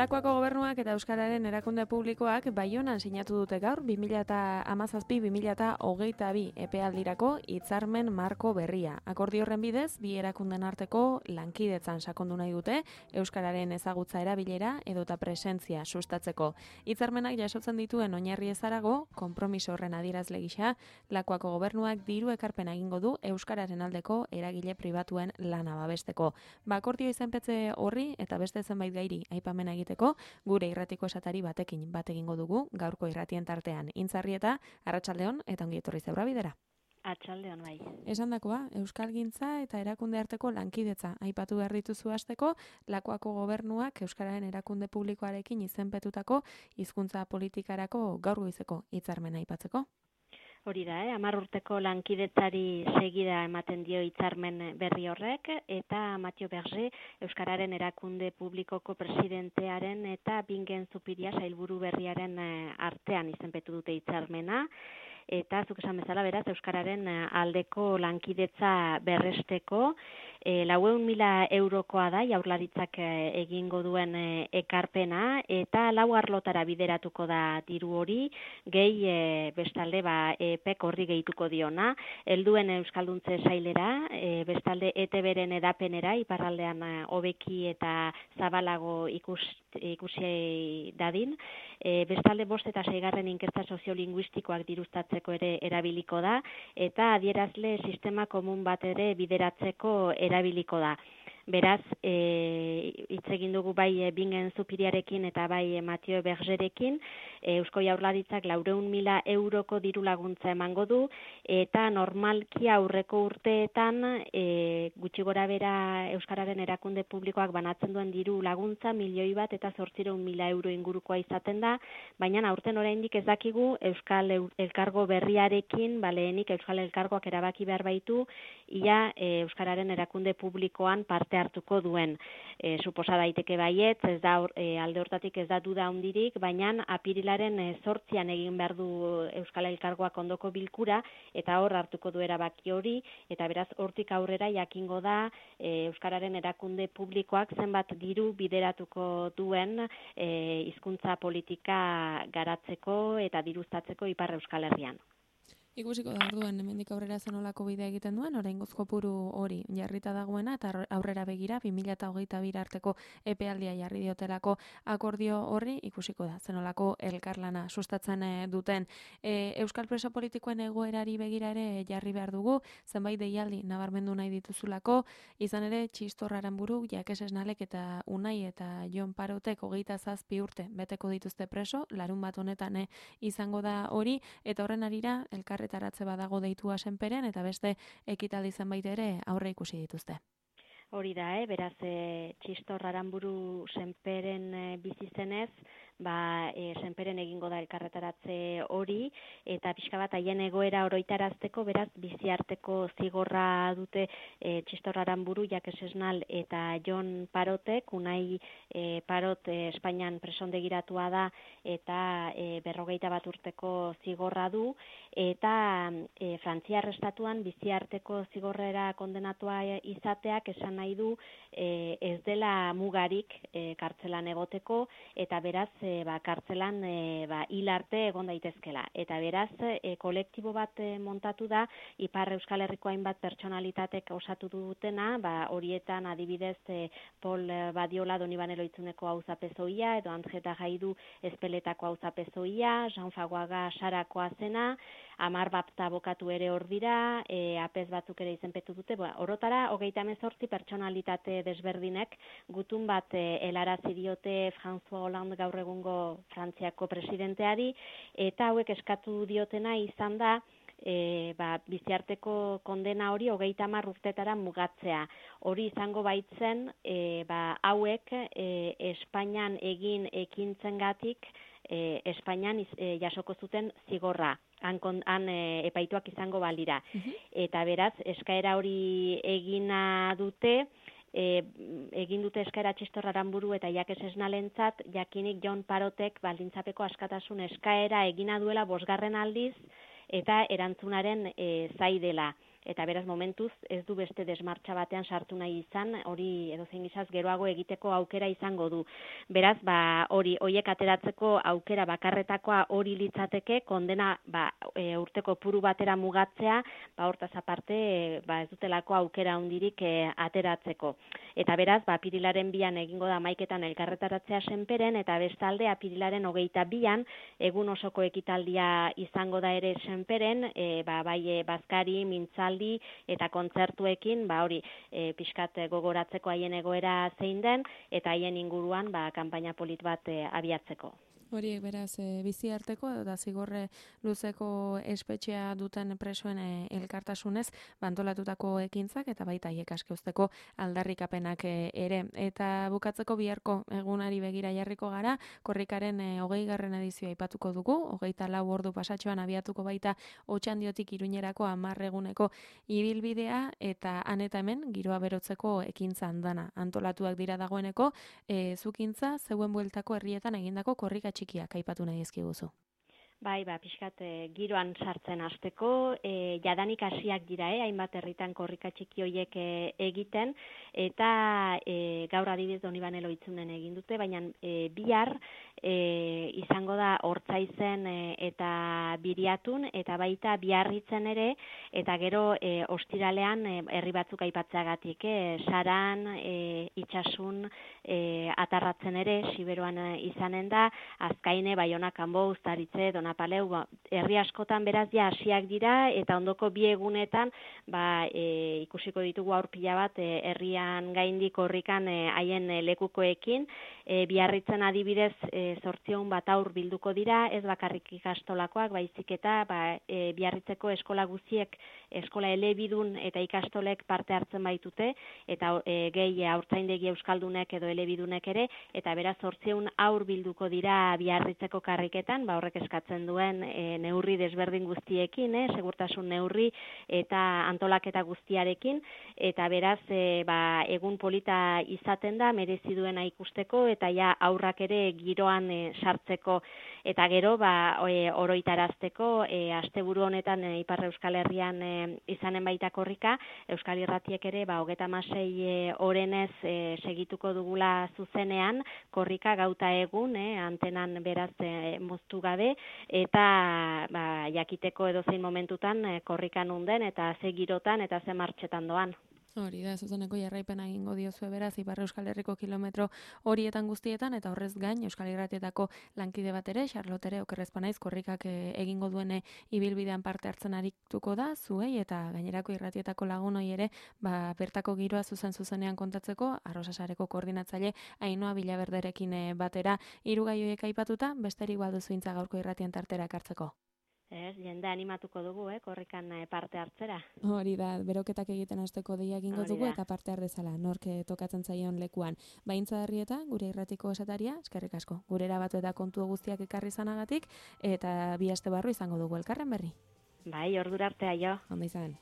Lakuako gobernuak eta Euskararen erakunde publikoak Baionan sinatu dute gaur 2017-2022 epealdirako hitzarmen marko berria. Akordio horren bidez, bi erakunden arteko lankidetzan sakondu nahi dute Euskararen ezagutza erabilera edota presentzia sustatzeko. Hitzarmenak jasotzen dituen oinarri ezarago, konpromiso horren adierazle gisa, Lakuako gobernuak diru ekarpena egingo du Euskararen aldeko eragile pribatuen lana babesteko. Akordio izenpetze horri eta beste zenbait gairi aipamena egiteko, gure irratiko esatari bat egingo dugu, gaurko irratien tartean. Intzarrieta, arratsaldeon eta ongi etorri Zeura bidera. Arratsaldeon bai. Esandakoa, euskalgintza eta erakunde arteko lankidetza aipatu behar dituzu hasteko, Lakuako gobernuak Euskararen erakunde publikoarekin izenpetutako hizkuntza politikarako gaur goizeko hitzarmena aipatzeko. Hori da, 10 urteko lankidetzari segida ematen dio hitzarmen berri horrek, eta Mathieu Berger, Euskararen erakunde publikoko presidentearen eta Bingen Zupiria sailburu berriaren artean izenpetu dute hitzarmena, eta zuk esan bezala beraz Euskararen aldeko lankidetza berresteko 400.000 eurokoa da Jaurlaritzak egingo duen ekarpena, eta 4 arlotara bideratuko da diru hori, gehi bestalde EPEK horri gehituko diona, helduen euskalduntze sailera, bestalde ETB-ren edapenera, iparraldean hobeki eta zabalago ikusi dadin, bestalde 5 eta 6 inkesta soziolinguistikoak diruztatzeko ere erabiliko da, eta adierazle sistema komun bat ere bideratzeko erabiliko da. Beraz, hitz egin dugu bai Bingen Zupiriarekin eta bai Mathieu Bergerekin, Eusko Jaurlaritzak 400.000 euroko diru laguntza emango du, eta normalki aurreko urteetan gutxi gora bera Euskararen erakunde publikoak banatzen duen diru laguntza 1.800.000 euro ingurukoa izaten da, baina aurten oraindik ez dakigu Euskal Elkargo berriarekin, lehenik Euskal Elkargoak erabaki behar baitu, ia Euskararen erakunde publikoan parte hartuko duen. Suposa daiteke baietz, ez da alde hortatik ez da duda handirik, baina apirilaren 8an egin behar du Euskal Elkargoak ondoko bilkura, eta hor hartuko du erabaki hori, eta beraz hortik aurrera jakingo da Euskararen erakunde publikoak zenbat diru bideratuko duen hizkuntza politika garatzeko eta diruztatzeko Ipar Euskal Herrian. Ikusiko da orduan hemendik aurrera zenolako bidea egiten duen, oraingoz kopuru hori jarrita dagoena eta aurrera begira 2022 arteko epealdia jarri diotelako akordio horri ikusiko da zenolako elkarlana sustatzen duten. Euskal preso politikoen egoerari begira ere jarri behar dugu, zenbait deialdi nabarmendu nahi dituzulako, izan ere Txistor Aranburu, Jakes Esnalek eta Unai eta Jon Parotek 27 urte beteko dituzte preso, larunbat honetan izango da hori, eta horren arira elkarretaratze badago deitua Senperen eta beste ekitaldi zenbait ere aurre ikusi dituzte. Hori da, beraz Txistor Aranburu Senperen bizi zenez, Senperen egingo da elkarretaratze hori, eta pixka bat haien egoera oroitarazteko, beraz biziarteko zigorra dute Txistor Aranburu, Jakes Esnal eta Jon Parotek, Unai Parot Espainian presondegiratua da eta 51 urteko zigorra du, eta Frantziar estatuan biziarteko zigorrera kondenatua izateak esan nahi du ez dela mugarik kartzelan egoteko, eta beraz kartzelan hil arte egon daitezkela. Eta beraz, kolektibo bat montatu da, Ipar Euskal Herriko hainbat pertsonalitatek osatu dutena, horietan adibidez Pol Badiola Donibane Loitzuneko auzapezoia, edo Anjeta Jaidu Ezpeletako auzapezoia, Jean Faguaga Sarakoa zena, 10 bapta abokatu ere hor dira, apez batzuk ere izenpetu dute, orotara 38 pertsonalitate desberdinek gutun bat helarazi diote François Hollande gaur egungo Frantziako presidenteari, eta hauek eskatu diotena izan da biziarteko kondena hori 30 urtetara mugatzea. Hori izango baitzen hauek Espainian egin ekintzengatik Espainian jasoko zuten zigorra. Han epaituak izango balira. Eta beraz, eskaera hori egina dute, egin dute eskaera Txistor Aranburu eta Jakes Esnalentzat, jakinik Jon Parotek baldintzapeko askatasun eskaera egina duela 5. aldiz, eta erantzunaren zai dela. eta beraz momentuz ez du beste desmartxa batean sartu nahi izan, hori edozein gizaz geroago egiteko aukera izango du. Beraz, horiek ateratzeko aukera bakarretakoa hori litzateke, kondena urteko puru batera mugatzea, hortaz aparte ez dutelako aukera hundirik ateratzeko. Eta beraz, apirilaren 2an egingo da hamaiketan elkarretaratzea Senperen, eta bestalde apirilaren 22an egun osoko ekitaldia izango da ere Senperen, bai bazkari, mintzaldi eta kontzertuekin, pixkat gogoratzeko haien egoera zein den, eta haien inguruan kanpaina polit bat abiatzeko. Horiek beraz bizi arteko eta zigorre luzeko espetxea duten presoen elkartasunez bantolatutako ekintzak eta baita haiek aske uzteko aldarrikapenak ere. Eta bukatzeko biharko egunari begira jarriko gara, korrikaren 20. edizioa aipatuko dugu, 24 ordu pasatxoan abiatuko baita Otxandiotik Iruñerako 10 eguneko ibilbidea eta han eta hemen giroa berotzeko ekintza andana. Antolatuak dira dagoeneko, zukintza zeuen bueltako herrietan egindako korrika txikiak aipatu nahi dizkiguzu. Bai, pixkat giroan sartzen hasteko, jadanik hasiak dira, hainbat herritan korrika txiki horiek egiten, eta gaur adibidez Donibane Loitzunen egin dute, baina bihar izango da Ortzaizen eta Biriatun, eta baita Biarritzen ere, eta gero ostiralean herri batzuk aipatzeagatik, Saran, Itxasun, Atarratzen ere, Siberuan izanen da, Azkaine, Baiona, Kanbo, Uztaritze, Donapaleu, herri askotan beraz ja hasiak dira, eta ondoko 2 egunetan ikusiko ditugu aur pila bat herrian gaindik korrikan haien lekukoekin, Biarritzen adibidez 800 bat aur bilduko dira, ez bakarrik ikastolakoak, baizik eta Biarritzeko eskola guztiek, eskola elebidun eta ikastolek parte hartzen baitute, eta gehi haurtzaindegi euskaldunek edo elebidunek ere, eta beraz 800 aur bilduko dira Biarritzeko karriketan, horrek eskatzen duen neurri desberdin guztiekin, segurtasun neurri eta antolaketa guztiarekin, eta beraz egun polita izaten da, merezi duena ikusteko, eta ja aurrak ere giroan sartzeko, eta gero oroitarazteko, asteburu honetan Ipar Euskal Herrian izanen baita korrika, Euskal Irratiek ere 36 orenez segituko dugula zuzenean, korrika gauta egun, antenan beraz moztu gabe, eta jakiteko edozein momentutan korrikan unden, eta ze girotan eta ze martxetan doan. Hori da, zuzeneko jarraipena egingo diozue beraz, Ipar Euskal Herriko kilometro horietan guztietan, eta horrez gain, Euskal Irratietako lankide bat ere, Charlotte ere, okerrezpanaiz, korrikak egingo duene ibilbidean parte hartzen arituko da, zuei, eta gainerako irratietako lagunoi ere, bertako giroa zuzenean kontatzeko, Arrosasareko koordinatzaile Ainhoa Bilaberderekin batera, 3 gai horiek aipatuta, besterik baduzu intza gaurko irratien tartera ekartzeko. Jende animatuko dugu, korrikan parte hartzera. Hori da, beroketak egiten hasteko deia egingo dugu eta parte har dezala, nork tokatzen zaion lekuan. Baintza Herrieta, gure irratiko esataria, eskerrik asko. Gurera batu eta kontu guztiak ekarri izanagatik, eta 2 aste barru izango dugu elkarren berri. Bai, ordura arte aio. Ondo izan.